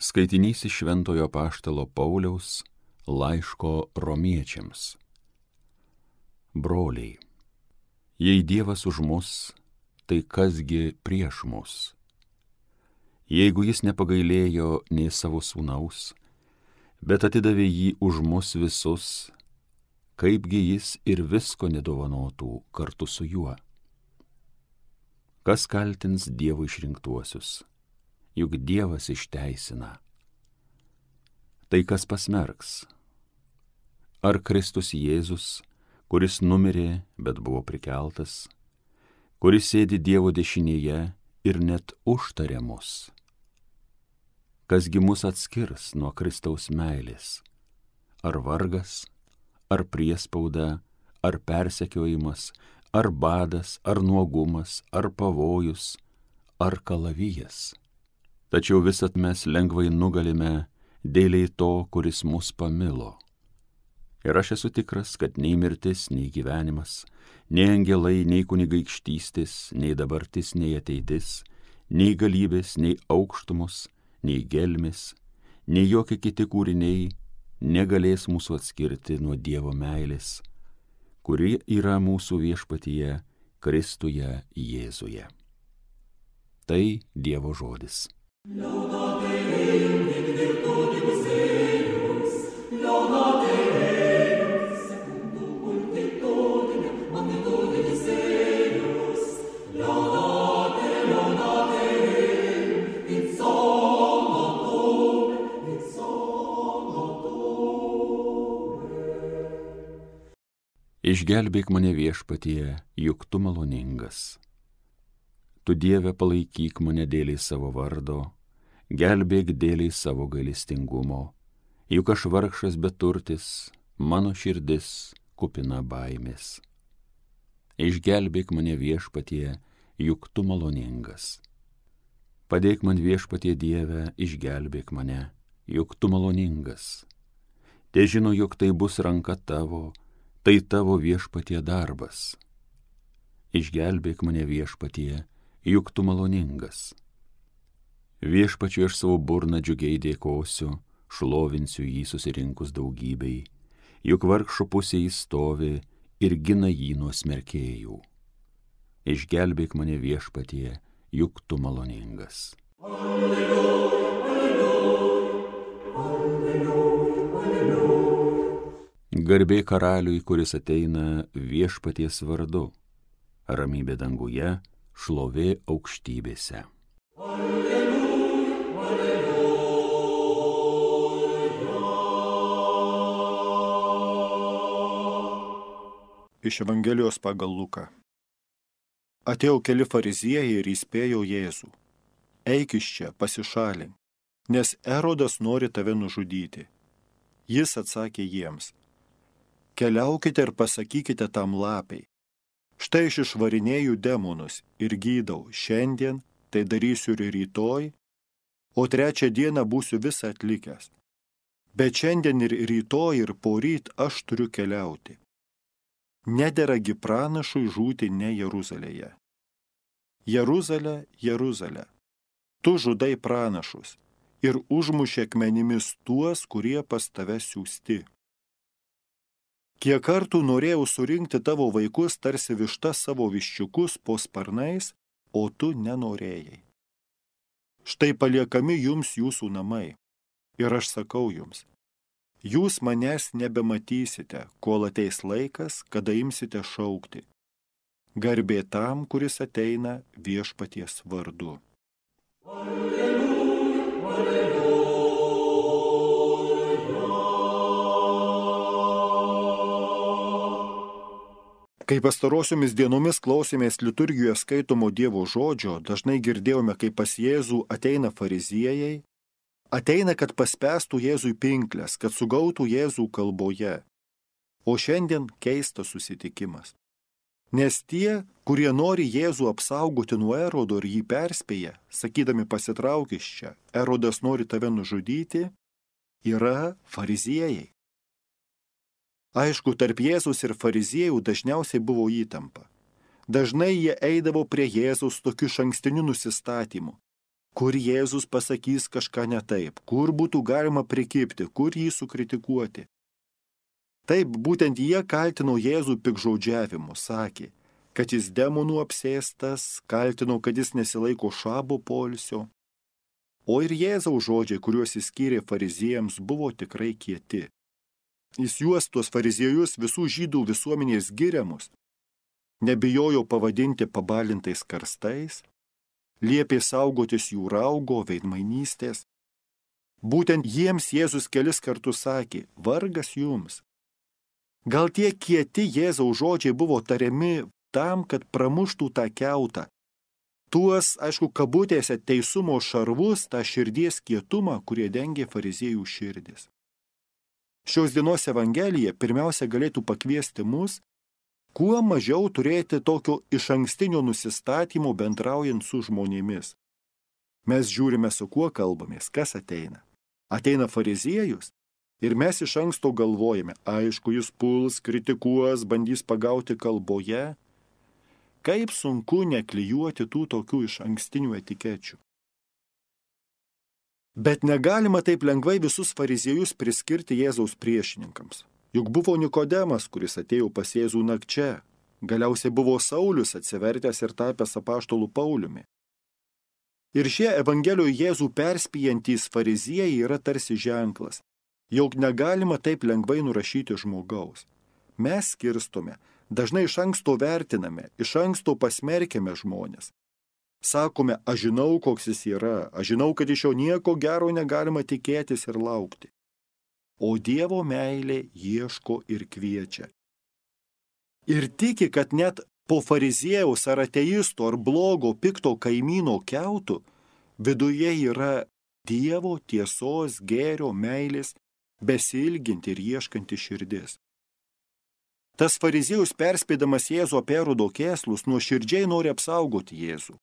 Skaitinys iš Šventojo Apaštalo Pauliaus laiško Romiečiams. Broliai, jei Dievas už mus, tai kasgi prieš mus? Jeigu jis nepagailėjo nei savo sūnaus, bet atidavė jį už mus visus, kaipgi jis ir visko nedovanotų kartu su juo? Kas kaltins Dievo išrinktuosius? Juk Dievas išteisina. Tai kas pasmerks? Ar Kristus Jėzus, kuris numirė, bet buvo prikeltas, kuris sėdi Dievo dešinėje ir net užtarė mus? Kasgi mus atskirs nuo Kristaus meilės? Ar vargas, ar priespauda, ar persekiojimas, ar badas, ar nuogumas, ar pavojus, ar kalavijas? Tačiau visat mes lengvai nugalime dėliai to, kuris mus pamilo. Ir aš esu tikras, kad nei mirtis, nei gyvenimas, nei angelai, nei kunigaikštystės, nei dabartis, nei ateitis, nei galybės, nei aukštumos, nei gelmės, nei jokie kiti kūriniai negalės mūsų atskirti nuo Dievo meilės, kuri yra mūsų viešpatyje Kristuje Jėzuje. Tai Dievo žodis. Laudate Deum in virtutis eius, laudate Deum secundum multitudinem magnitudinis eius, laudate Deum in solum, in solum. Išgelbėk mane viešpatie, juk tu maloningas. Tu Dieve palaikyk mane dėliai savo vardo, gelbėk dėliai savo gailestingumo, juk aš vargšas beturtis, mano širdis kupina baimės. Išgelbėk mane viešpatie, juk tu maloningas. Padėk man viešpatie Dieve, išgelbėk mane, juk tu maloningas. Te žino, jog tai bus ranka tavo, tai tavo viešpatie darbas. Išgelbėk mane viešpatie, juk tu maloningas. Viešpačiui aš savo burną džiugiai dėkosiu, šlovinsiu jį susirinkus daugybei, juk vargšų pusėje jis stovi ir gina jį nuo smerkėjų. Išgelbėk mane viešpatie, juk tu maloningas. Alleluja, alleluja, alleluja, alleluja. Garbė karaliui, kuris ateina viešpaties vardu, ramybė danguje, šlovė aukštybėse. Alleluja, alleluja. Iš Evangelijos pagal Luką. Atėjo keli fariziejai ir įspėjo Jėzų. Eik iš čia, pasišalink, nes Erodas nori tave nužudyti. Jis atsakė jiems. Keliaukite ir pasakykite tam lapei. Štai aš išvarinėju demonus ir gydau šiandien, tai darysiu ir rytoj, o trečią dieną būsiu visą atlikęs. Bet šiandien ir rytoj ir poryt aš turiu keliauti. Nederagi pranašui žūti ne Jeruzalėje. Jeruzalė, Jeruzalė, tu žudai pranašus ir užmušė akmenimis tuos, kurie pas tave siųsti. Kiek kartų norėjau surinkti tavo vaikus tarsi višta savo viščiukus po sparnais, o tu nenorėjai. Štai paliekami jums jūsų namai. Ir aš sakau jums, jūs manęs nebematysite, kol ateis laikas, kada imsite šaukti. Garbė tam, kuris ateina viešpaties vardu. Alleluja, alleluja. Kai pastarosiomis dienomis klausėmės liturgijoje skaitomo Dievo žodžio, dažnai girdėjome, kaip pas Jėzų ateina fariziejai, ateina, kad paspęstų Jėzui pinklės, kad sugautų Jėzų kalboje. O šiandien keistas susitikimas. Nes tie, kurie nori Jėzų apsaugoti nuo Erodo ir jį perspėja, sakydami pasitrauk iš čia, Erodas nori tave nužudyti, yra fariziejai. Aišku, tarp Jėzus ir fariziejų dažniausiai buvo įtampa. Dažnai jie eidavo prie Jėzaus tokiu išankstiniu nusistatymu. kur Jėzus pasakys kažką ne taip, kur būtų galima prikibti, kur jį sukritikuoti. Taip, būtent jie kaltino Jėzų pikžodžiavimu, sakė, kad jis demonų apsėstas, kaltino, kad jis nesilaiko šabo poilsio. O ir Jėzaus žodžiai, kuriuos jis skyrė fariziejams, buvo tikrai kieti. Jis juos, tuos fariziejus, visų žydų visuomenės giriamus, nebijojo pavadinti pabalintais karstais, liepė saugotis jų raugo, veidmainystės. Būtent jiems Jėzus kelis kartus sakė, vargas jums. Gal tie kieti Jėzaus žodžiai buvo tariami tam, kad pramuštų tą kiautą. Tuos, aišku, kabutėse teisumo šarvus, tą širdies kietumą, kurie dengė fariziejų širdis. Šios dienos Evangelija pirmiausia galėtų pakviesti mus, kuo mažiau turėti tokio išankstinio nusistatymo bendraujant su žmonėmis. Mes žiūrime, su kuo kalbamės, kas ateina. Ateina fariziejus ir mes iš anksto galvojame, aišku, jis puls, kritikuos, bandys pagauti kalboje. Kaip sunku neklijuoti tų tokių išankstinių etikečių. Bet negalima taip lengvai visus fariziejus priskirti Jėzaus priešininkams. Juk buvo Nikodemas, kuris atėjo pas Jėzų nakčia. Galiausiai buvo Saulius atsivertęs ir tapęs apaštolu Pauliumi. Ir šie Evangelijoje Jėzų perspėjantys fariziejai yra tarsi ženklas, jog negalima taip lengvai nurašyti žmogaus. Mes skirstome, dažnai iš anksto vertiname, iš anksto pasmerkiame žmonės. Sakome, aš žinau, koks jis yra, aš žinau, kad iš jo nieko gero negalima tikėtis ir laukti. O Dievo meilė ieško ir kviečia. Ir tiki, kad net po fariziejaus ar ateisto ar blogo pikto kaimyno kiautų viduje yra Dievo tiesos, gėrio, meilės, besiilginti ir ieškanti širdis. Tas fariziejus perspėdamas Jėzų apie Erodo kėslus nuoširdžiai nori apsaugoti Jėzų.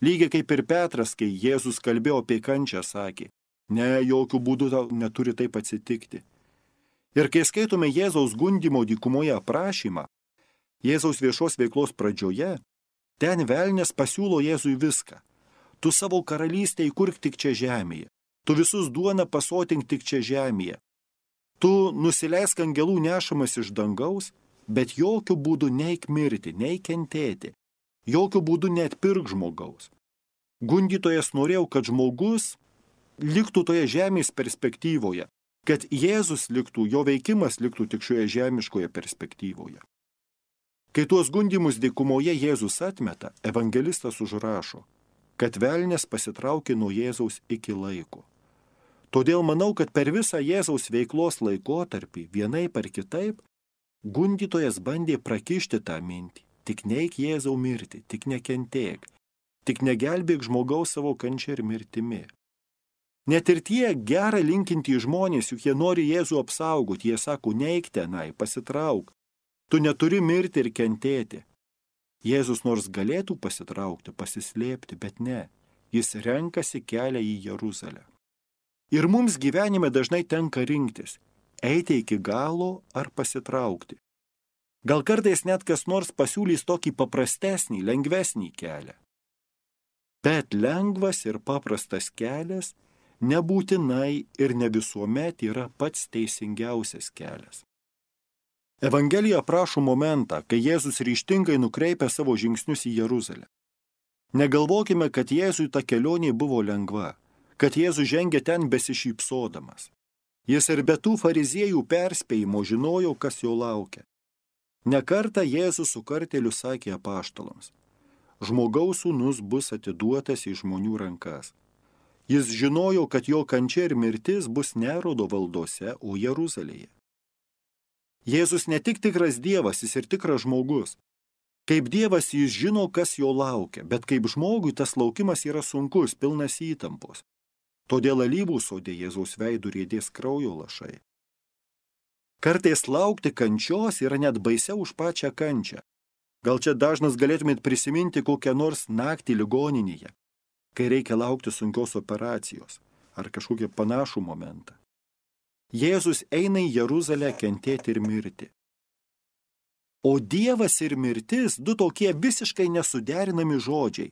Lygiai kaip ir Petras, kai Jėzus kalbėjo apie kančią, sakė, ne, jokių būdų neturi taip atsitikti. Ir kai skaitome Jėzaus gundymo dykumoje aprašymą, Jėzaus viešos veiklos pradžioje, ten velnias pasiūlo Jėzui viską. Tu savo karalystę įkurk tik čia žemėje, tu visus duoną pasotink tik čia žemėje, tu nusileisk angelų nešamas iš dangaus, bet jokių būdų neik mirti, neik kentėti. Jokių būdų neatpirk žmogaus. Gundytojas norėjo, kad žmogus liktų toje žemės perspektyvoje, kad Jėzus liktų, jo veikimas liktų tik šioje žemiškoje perspektyvoje. Kai tuos gundymus dykumoje Jėzus atmeta, evangelistas užrašo, kad velnias pasitraukė nuo Jėzaus iki laiko. Todėl manau, kad per visą Jėzaus veiklos laikotarpį, vienaip ar kitaip, gundytojas bandė prakišti tą mintį. Tik neik Jėzau mirti, tik nekentėk, tik negelbėk žmogaus savo kančia ir mirtimi. Net ir tie gerą linkintys žmonės, juk jie nori Jėzų apsaugoti, jie sako, neik tenai, pasitrauk, tu neturi mirti ir kentėti. Jėzus nors galėtų pasitraukti, pasislėpti, bet ne, jis renkasi kelią į Jeruzalę. Ir mums gyvenime dažnai tenka rinktis, eiti iki galo ar pasitraukti. Gal kartais net kas nors pasiūlys tokį paprastesnį, lengvesnį kelią. Bet lengvas ir paprastas kelias nebūtinai ir ne visuomet yra pats teisingiausias kelias. Evangelija aprašo momentą, kai Jėzus ryžtingai nukreipia savo žingsnius į Jeruzalę. Negalvokime, kad Jėzui ta kelionė buvo lengva, kad Jėzus žengė ten besišypsodamas. Jis ir be tų fariziejų perspėjimo žinojo, kas jo laukia. Nekartą Jėzus su kartėliu sakė apaštalams, žmogaus sūnus bus atiduotas į žmonių rankas. Jis žinojo, kad jo kančia ir mirtis bus ne Erodo valdose, o Jeruzalėje. Jėzus ne tik tikras Dievas, jis ir tikras žmogus. Kaip Dievas jis žino, kas jo laukia, bet kaip žmogui tas laukimas yra sunkus, pilnas įtampos. Todėl alyvų sode Jėzaus veidų riedės kraujo lašai. Kartais laukti kančios yra net baisiau už pačią kančią. Gal čia dažnas galėtumėt prisiminti kokią nors naktį ligoninėje, kai reikia laukti sunkios operacijos ar kažkokią panašų momentą. Jėzus eina į Jeruzalę kentėti ir mirti. O Dievas ir mirtis du tokie visiškai nesuderinami žodžiai.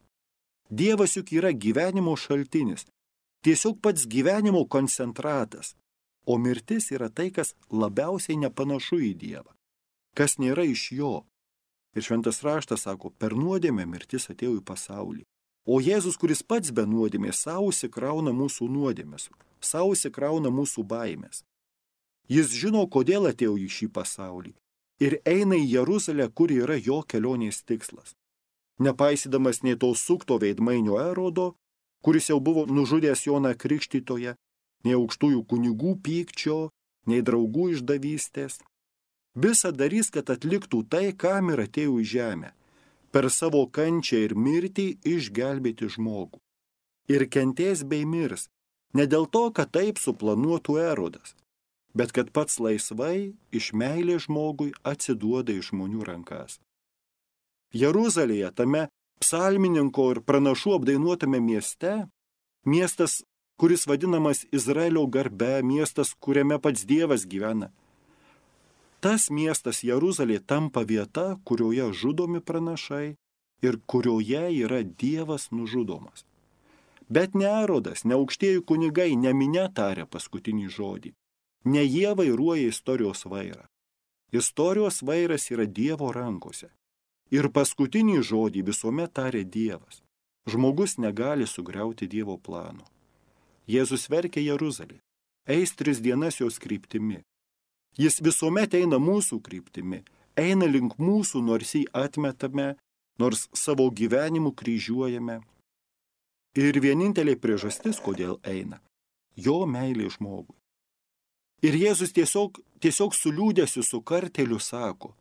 Dievas juk yra gyvenimo šaltinis, tiesiog pats gyvenimo koncentratas, o mirtis yra tai, kas labiausiai nepanašu į Dievą, kas nėra iš jo. Ir šventas raštas sako, per nuodėmę mirtis atėjo į pasaulį. O Jėzus, kuris pats be nuodėmės, savo įsikrauna mūsų nuodėmės, savo įsikrauna mūsų baimės. Jis žino, kodėl atėjo į šį pasaulį ir eina į Jeruzalę, kur yra jo kelionės tikslas. Nepaisydamas nei to sukto veidmainio Erodo, kuris jau buvo nužudęs Joną Krikštytoją, nei aukštųjų kunigų pykčio, nei draugų išdavystės. Visa darys, kad atliktų tai, kam ir atėjo į žemę, per savo kančią ir mirtį išgelbėti žmogų. Ir kentės bei mirs, ne dėl to, kad taip suplanuotų Erodas, bet kad pats laisvai iš meilės žmogui atsiduoda į žmonių rankas. Jeruzalėje, tame psalmininko ir pranašų apdainuotame mieste, miestas, kuris vadinamas Izraelio garbe, miestas, kuriame pats Dievas gyvena, tas miestas Jeruzalė tampa vieta, kurioje žudomi pranašai ir kurioje yra Dievas nužudomas. Bet ne Erodas, ne aukštieji kunigai, ne minia taria paskutinį žodį. Ne jie vairuoja istorijos vairą. Istorijos vairas yra Dievo rankose. Ir paskutinį žodį visuomet taria Dievas. Žmogus negali sugriauti Dievo plano. Jėzus verkia Jeruzalė. Eis 3 dienas jos kryptimi. Jis visuomet eina mūsų kryptimi, eina link mūsų, nors jį atmetame, nors savo gyvenimu kryžiuojame. Ir vienintelė priežastis, kodėl eina, jo meilė žmogui. Ir Jėzus tiesiog su liūdesiu, su karteliu sako,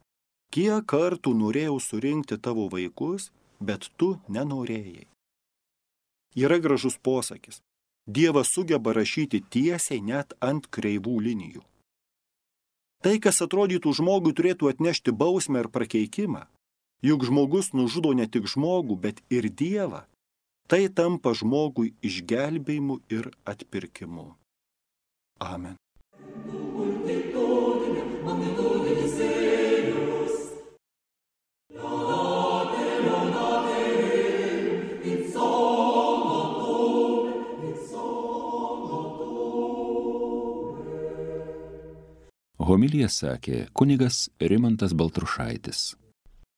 kiek kartų norėjau surinkti tavo vaikus, bet tu nenorėjai. Yra gražus posakis, Dievas sugeba rašyti tiesiai net ant kreivų linijų. Tai, kas atrodytų žmogui, turėtų atnešti bausmę ir prakeikimą. Juk žmogus nužudo ne tik žmogų, bet ir Dievą. Tai tampa žmogui išgelbėjimu ir atpirkimu. Amen. Homiliją sakė kunigas Rimantas Baltrušaitis.